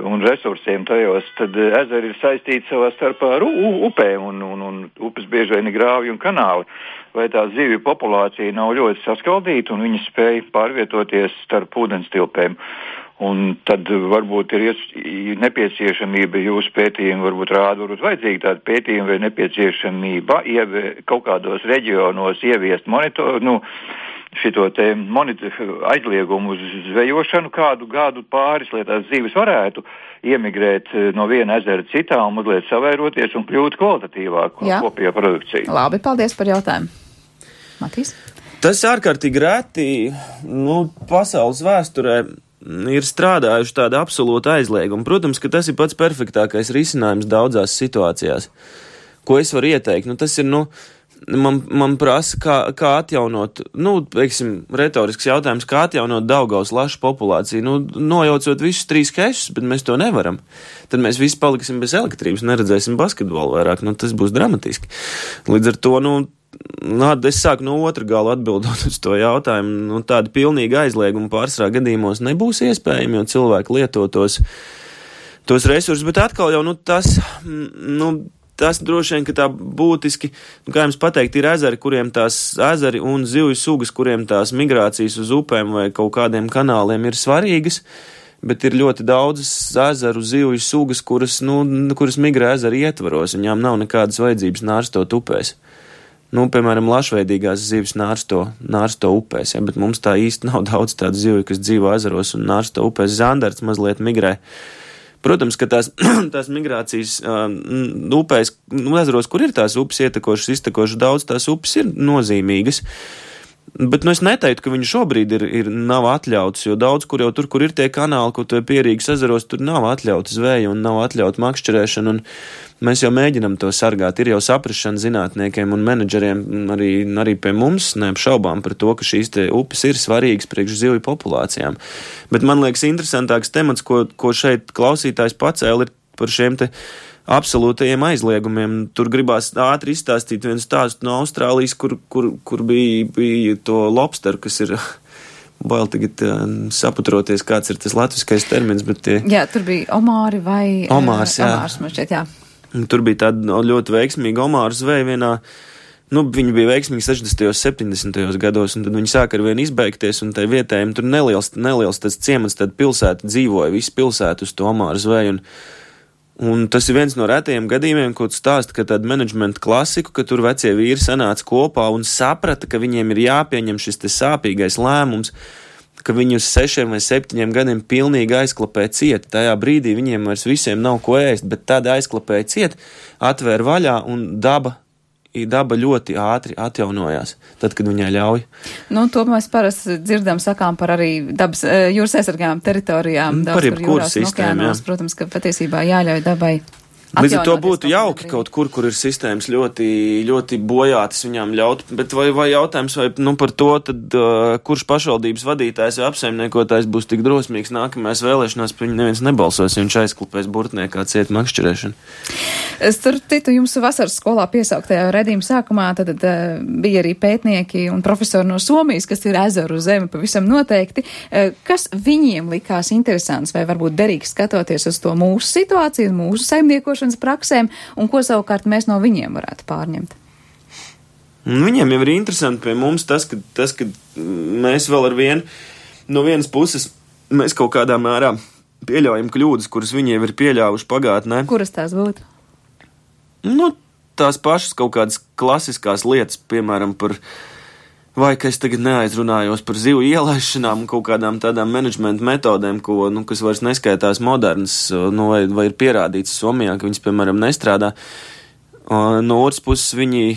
un resursiem tajos, tad ezeri ir saistīti savā starpā ar upēm un upes bieži vien ir grāvji un kanāli. Vai tā zivju populācija nav ļoti saskaldīta un viņi spēj pārvietoties starp ūdenstilpēm. Un tad varbūt ir nepieciešamība jūsu pētījumi, varbūt vajadzīga tāda pētījuma vai nepieciešamība kaut kādos reģionos ieviest aizliegumu uz zvejošanu kādu gadu pāris, lai tās zivis varētu iemigrēt no viena ezera citā un mazliet savairoties un kļūt kvalitatīvāk kopējā produkcija.
Labi, paldies par jautājumu. Matīs?
Tas ārkārtīgi reti, pasaules vēsturē ir strādājuši tāda absolūta aizlieguma. Protams, ka tas ir pats perfektākais risinājums daudzās situācijās. Ko es varu ieteikt? Tas ir, man prasa, kā atjaunot, retorisks jautājums, kā atjaunot Daugavas lašu populāciju, nojaucot visus 3 kešus, bet mēs to nevaram. Tad mēs visi paliksim bez elektrības, neredzēsim basketbolu vairāk, tas būs dramatiski. Līdz ar to, es sāku no otra gala atbildot uz to jautājumu, tāda pilnīga aizlieguma pārsvarā gadījumos nebūs iespējama, jo cilvēki lieto tos resursus, bet atkal jau, tas droši vien, ka tā būtiski, kā jums pateikt, ir ezeri, kuriem tās ezeri un zivju sugas, kuriem tās migrācijas uz upēm vai kaut kādiem kanāliem ir svarīgas, bet ir ļoti daudzas ezeru zivju sugas, kuras migrē ezeru ietvaros, viņām nav nekādas vajadzības nārstot upēs. Piemēram, lašveidīgās zivis nārsto upēs, bet mums tā īsti nav daudz tādu zivju, kas dzīvo ezeros un nārsto upēs. Zandarts mazliet migrē. Protams, ka tās migrācijas upēs, ezeros, kur ir tās upes ietekošas, iztekošas daudz, tās upes ir nozīmīgas. Bet es neteiktu, ka viņi šobrīd nav atļauts, jo daudz, kur jau tur, kur ir tie kanāli, ko tu Pierīgas ezeros, tur nav atļauta zveja un nav atļauta makšķerēšana, un mēs jau mēģinam to sargāt. Ir jau saprašana zinātniekiem un menedžeriem arī pie mums, neapšaubām par to, ka šīs te upes ir svarīgas priekš zivju populācijām. Bet man liekas interesantāks temats, ko šeit klausītājs pacēla, ir par šiem te absolūtajiem aizliegumiem. Tur gribās ātri izstāstīt vienu stāstu no Austrālijas, kur bija to lobsteru, kas ir bail tagad saputroties, kāds ir tas latviskais termins, bet tie...
Jā, tur bija omāri vai...
Omārs, jā.
Omārs, man šķiet, jā.
Tur bija tāda ļoti veiksmīga omāru zveja vienā, viņi bija veiksmīgi 60. un 70. gados, un tad viņi sāka ar vienu izbeigties, un tai vietējiem tur neliels tas ciemats, tad pilsēta dzīvoja, visi pilsētu uz to omāru zveju, un tas ir viens no retajiem gadījumiem, ko tu stāsti, ka tāda menedžmenta klasiku, ka tur vecie vīri sanāca kopā un saprata, ka viņiem ir jāpieņem šis te sāpīgais lēmums, ka viņi uz 6 vai 7 gadiem pilnīgi aizklapē ciet. Tajā brīdī viņiem vairs visiem nav ko ēst, bet tad aizklapēja ciet, atvēra vaļā un daba ļoti ātri atjaunojās, tad, kad viņai ļauj.
To mēs parasti dzirdam, sakām par arī dabas jūras aizsargājām teritorijām.
Par jebkuru sistēmu, jā.
Protams, ka patiesībā jāļauj dabai.
Līdz ar to būtu jauki kaut kur ir sistēmas ļoti, ļoti bojātas viņām ļaut, bet vai jautājums par to, tad kurš pašvaldības vadītājs vai apsaimniekotājs būs tik drosmīgs nākamajās vēlēšanās, pa viņu neviens nebalsos, ja viņš aizklupēs burtniekā ciet makšķerēšanu.
Starp citu, jums vasaras skolā piesauktajā redzījuma sākumā tad bija arī pētnieki un profesori no Somijas, kas ir ezeru zeme pavisam noteikti. Kas viņiem likās interesants vai varbūt derīgs skatoties uz to mūsu situāciju, mūsu saimniekošanas praksēm, un ko savukārt mēs no viņiem varētu pārņemt?
Viņiem jau ir interesanti pie mums tas, ka mēs vēl ar vienu, no vienas puses, mēs kaut kādā mērā pieļaujam kļūdas, kuras viņi jau ir pieļāvuši pagātnē.
Kuras tās būtu?
Tās pašas kaut kādas klasiskās lietas, piemēram, vai ka es tagad neaizrunājos par zivju ielaišanām un kaut kādām tādām menedžmenta metodēm, kas vairs neskaitās modernas, vai ir pierādīts Somijā, ka viņas, piemēram, nestrādā. No otras puses, viņi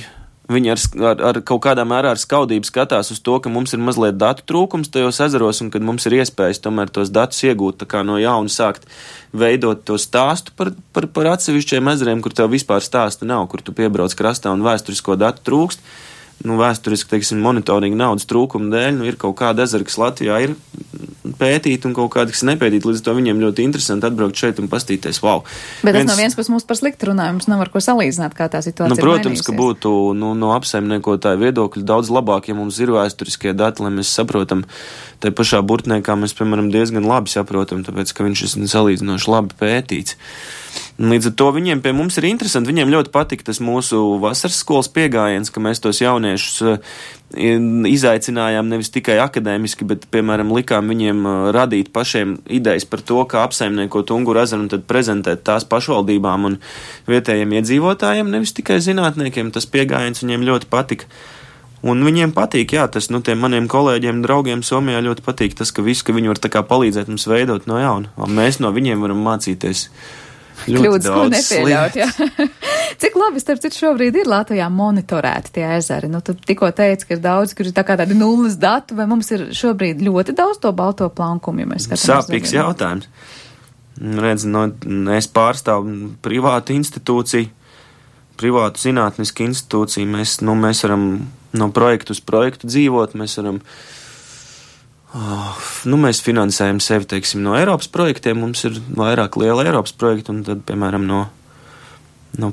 ar kaut kādā mērā ar skaudību skatās uz to, ka mums ir mazliet datu trūkums tajos ezeros un kad mums ir iespējas tomēr tos datus iegūt tā kā no jauna sākt veidot to stāstu par atsevišķiem ezeriem, kur tev vispār stāsta nav, kur tu piebrauc krastā un vēsturisko datu trūkst. Vēsturiski, monitoringa naudas trūkuma dēļ, ir kaut kāda ezera, kas Latvijā ir pētīta un kaut kāda, kas nepētīta, līdz to viņiem ļoti interesanti atbraukt šeit un pastīties, wow.
Bet tas no viens puses mums par sliktu runājumu, mums nav ar ko salīdzināt, kā tā situācija ir
protams,
mainījusies.
Ka būtu no apsaimniekotāja viedokļa daudz labāk, ja mums ir vēsturiskie dati, lai mēs saprotam, tai pašā burtniekā mēs, piemēram, diezgan labi saprotam, tāpēc, ka viņš ir salīdzinoši labi pētīts. Līdz ar to viņiem pie mums ir interesanti, viņiem ļoti patika tas mūsu vasaras skolas piegājiens, ka mēs tos jauniešus izaicinājām nevis tikai akadēmiski, bet, piemēram, likām viņiem radīt pašiem idejas par to, kā apsaimniekot Unguru ezeru un tad prezentēt tās pašvaldībām un vietējiem iedzīvotājiem, nevis tikai zinātniekiem. Tas piegājiens viņiem ļoti patika. Un viņiem patīk, jā, tas, tiem maniem kolēģiem, draugiem Somijā ļoti patīk tas, ka viņi var tā kā palīdzēt mums veidot no jauna. Un mēs no viņiem varam mācīties
kļūdas, ko nepieļaut, jā. Cik labi, starp citu, šobrīd ir Latvijā monitorēti tie ezeri? Tu tikko teici, ka ir daudz, kur ir tā kā tādi nulles datu, vai mums ir šobrīd ļoti daudz to balto plankumu, ja mēs skatāmies?
Sāpīgs jautājums. Redz, es pārstāvu privātu institūciju, privātu zinātnisku institūciju. Mēs varam no projektu uz projektu dzīvot, mēs varam mēs finansējam sevi, teiksim, no Eiropas projektiem, mums ir vairāk liela Eiropas projekta, un tad, piemēram, no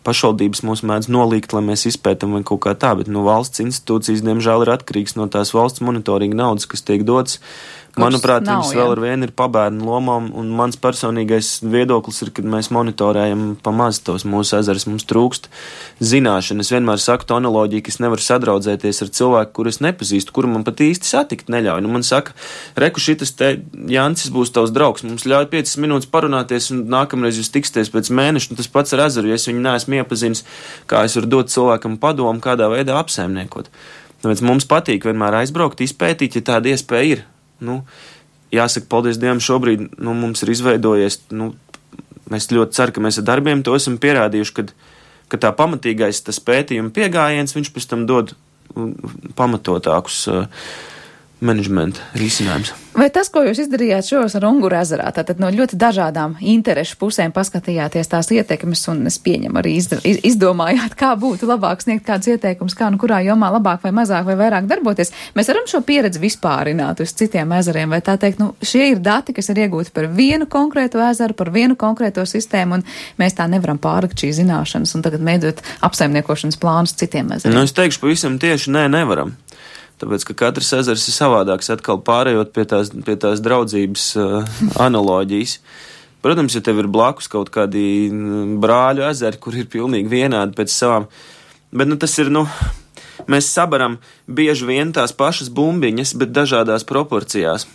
pašvaldības mūs mēdz nolīgt, lai mēs izpētam vai kaut kā tā, bet valsts institūcijas, diemžēl, ir atkarīgs no tās valsts monitoringa naudas, kas tiek dots. Manuprāt, viņas vēl ar vienu ir pabērnu lomām, un mans personīgais viedoklis ir, kad mēs monitorējam pamaz tos mūsu ezerus, mums trūkst zināšana. Es vienmēr saku to analoģiju, ka es nevaru sadraudzēties ar cilvēku, kuru es nepazīstu, kuru man pat īsti satikt neļauj. Man saka, reku, šitas te Jancis būs tavs draugs, mums ļauj 5 minūtes parunāties, un nākamreiz jūs tiksties pēc mēneša, un tas pats ar ezeru, ja es viņu neesmu iepazinis, kā es varu dot cilvēkam padomu, kādā veidā apsaimniekot. Tāpēc mums patīk vienmēr aizbraukt, izpētīt, ja tāda iespēja ir. Jāsaka, paldies Dievam, šobrīd mums ir izveidojies, mēs ļoti ceru, ka mēs ar darbiem to esam pierādījuši, ka tā pamatīgais tas pētījuma piegājiens, viņš pēc tam dod pamatotākus menedžmenta risinājums.
Vai tas, ko jūs izdarījāt šos ar Unguru ezerā, tātad no ļoti dažādām interešu pusēm paskatījāties tās ietekmes un es pieņemu arī izdomājāt, kā būtu labāk sniegt kādus ieteikumus, kā nu kurā jomā labāk vai mazāk vai vairāk darboties, mēs varam šo pieredzi vispārināt uz citiem ezeriem, vai tā teikt, šie ir dati, kas ir iegūti par vienu konkrēto ezeru, par vienu konkrēto sistēmu, un mēs tā nevaram pārlikt šīs zināšanas un tagad mēģināt apsaimniekošanas plānus citiem ezeriem.
Nu, es teikšu pavisam tieši nevaram. Tāpēc, ka katrs ezers ir savādāks, atkal pārējot pie tās draudzības analoģijas. Protams, ja tev ir blakus kaut kādi brāļu ezeri, kur ir pilnīgi vienādi pēc savām, bet tas ir, mēs sabaram bieži vien tās pašas bumbiņas, bet dažādās proporcijās.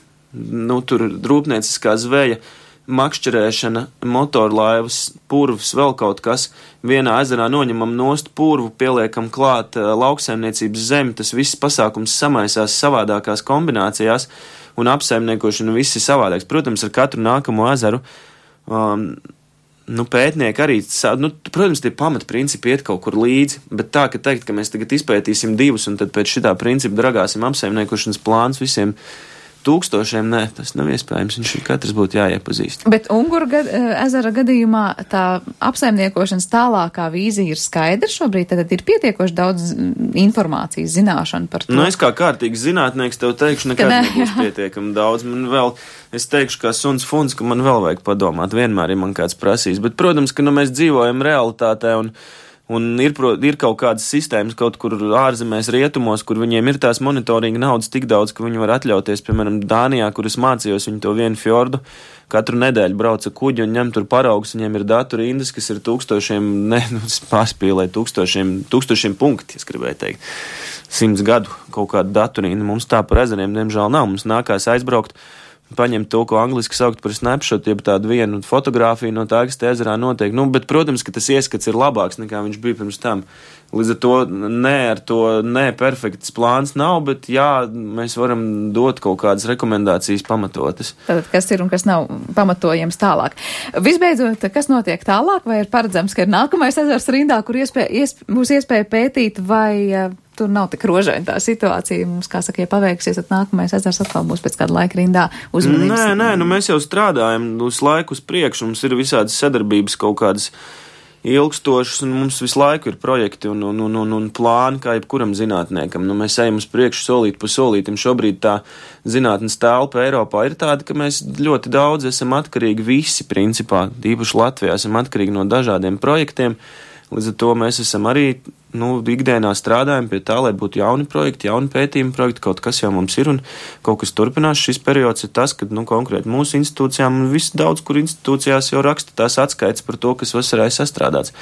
Tur rūpnieciskā zveja, makšķerēšana, motorlaivas, purvs, vēl kaut kas. Vienā ezerā noņemam nost purvu, pieliekam klāt lauksaimniecības zemi, tas viss pasākums samaisās savādākās kombinācijās un apsaimniekošana viss ir savādāks. Protams, ar katru nākamo ezeru pētnieki arī, protams, tie pamatprincipi iet kaut kur līdzi, bet tā, ka teikt, ka mēs tagad izpētīsim 2 un tad pēc šitā principa dragāsim apsaimniekošanas plāns visiem 1000, nē, tas nav iespējams, viņš katrs būtu jāiepazīst.
Bet Unguru ezera gadījumā tā apsaimniekošanas tālākā vīzija ir skaidra šobrīd, tad ir pietiekoši daudz informācijas, zināšanu par to.
Es kā kārtīgs zinātnieks tev teikšu, nekad nebūs pietiekami daudz. Man vēl, es teikšu kā suns funs, ka man vēl vajag padomāt, vienmēr ir man kāds prasīs, bet, protams, ka mēs dzīvojam realitātē un ir kaut kādas sistēmas kaut kur ārzemēs rietumos, kur viņiem ir tās monitoringa naudas tik daudz, ka viņi var atļauties, piemēram, Dānijā, kur es mācījos, viņi to vienu fjordu katru nedēļu brauca kuģi un ņem tur paraugus, viņiem ir datu rindas, kas ir tūkstošiem punkti, es gribēju teikt, 100 gadu kaut kādu datu rindu. Mums tā par ezeriem, diemžēl, nav. Mums nākās aizbraukt, paņemt to, ko angliski saukt par snapshot, jeb tādu vienu fotogrāfiju no tā, kas te ezerā notiek. Bet, protams, ka tas ieskats ir labāks nekā viņš bija pirms tam. Līdz ar to perfekts plāns nav, bet jā, mēs varam dot kaut kādas rekomendācijas pamatotas.
Tātad, kas ir un kas nav pamatojams tālāk. Visbeidzot, kas notiek tālāk, vai ir paredzams, ka ir nākamais ezers rindā, kur būs iespēja pētīt, vai tur nav tik rožaina tā situācija. Mums, kā saka, ja paveiksies, tad nākamais ezers atkal būs pēc kāda laika rindā uzmanības.
Nē, mēs jau strādājam uz laiku uz priekšu, mums ir visādas sadarbības kaut kādas ilgstošas, un mums visu laiku ir projekti un plāni, kā jebkuram zinātniekam. Mēs ejam uz priekšu solīt pa solītim. Šobrīd tā zinātnes telpa Eiropā ir tāda, ka mēs ļoti daudz esam atkarīgi visi, principā, īpaši Latvijā, esam atkarīgi no dažādiem projektiem. Līdz ar to mēs esam arī ikdienā strādājam pie tā, lai būtu jauni projekti, jauni pētījumi projekti, kaut kas jau mums ir un kaut kas turpinās. Šis periods ir tas, kad konkrēti mūsu institūcijām un viss daudz, kur institūcijās jau raksta tās atskaites par to, kas vasarā ir sastrādāts.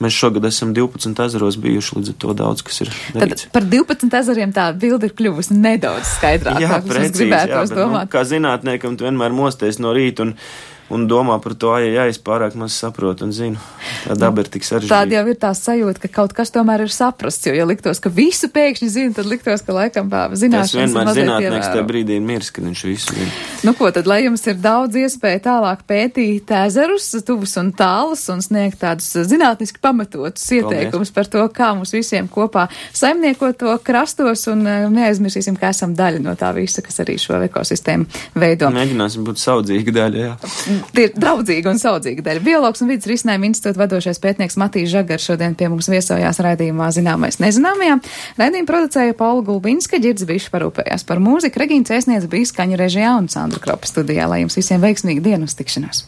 Mēs šogad esam 12 ezeros bijuši, līdz ar to daudz, kas ir darīts.
Tad par 12 ezeriem tā bilde ir kļuvusi nedaudz skaidrāk.
Jā, precīzi, bet, kā zinātniekam, tu vienmēr mosties no rīta un domā par to, ja es pārāk maz saprotu un zinu. Tā daba ir tik sarežģīta.
Tāda jau ir tā sajūta, ka kaut kas tomēr ir saprasts, jo, ja liktos, ka visu pēkšņi zina, tad liktos, ka laikam zināšanas ir mazliet
vienmēr zinātnieks tajā brīdī ir miris, kad viņš visu zina.
Tad, lai jums ir daudz iespēju tālāk pētīt ezerus, tuvus un tālus un sniegt tādus zinātniski pamatotus ieteikumus par to, kā mums visiem kopā saimniekot to krastos un neaizmirsīsim, ka esam daļa no tā visa, kas arī šo ekosistēmu veido.
Mēģināsim būt saudzīga daļa, jā.
Tie ir draudzīga un saudzīga daļa. Biologs un vidas risinājuma institūta vadošais pētnieks Matīs Žagars šodien pie mums viesojās raidījumā Zināmais nezināmajā. Raidījumu producēja Paula Gulbinska, Ģirds Bišs parūpējās par mūziku, Regīna Cēsniece bija skaņu režijā un Sandra Kropa studijā. Lai jums visiem veiksmīgi dienu uz tikšanos!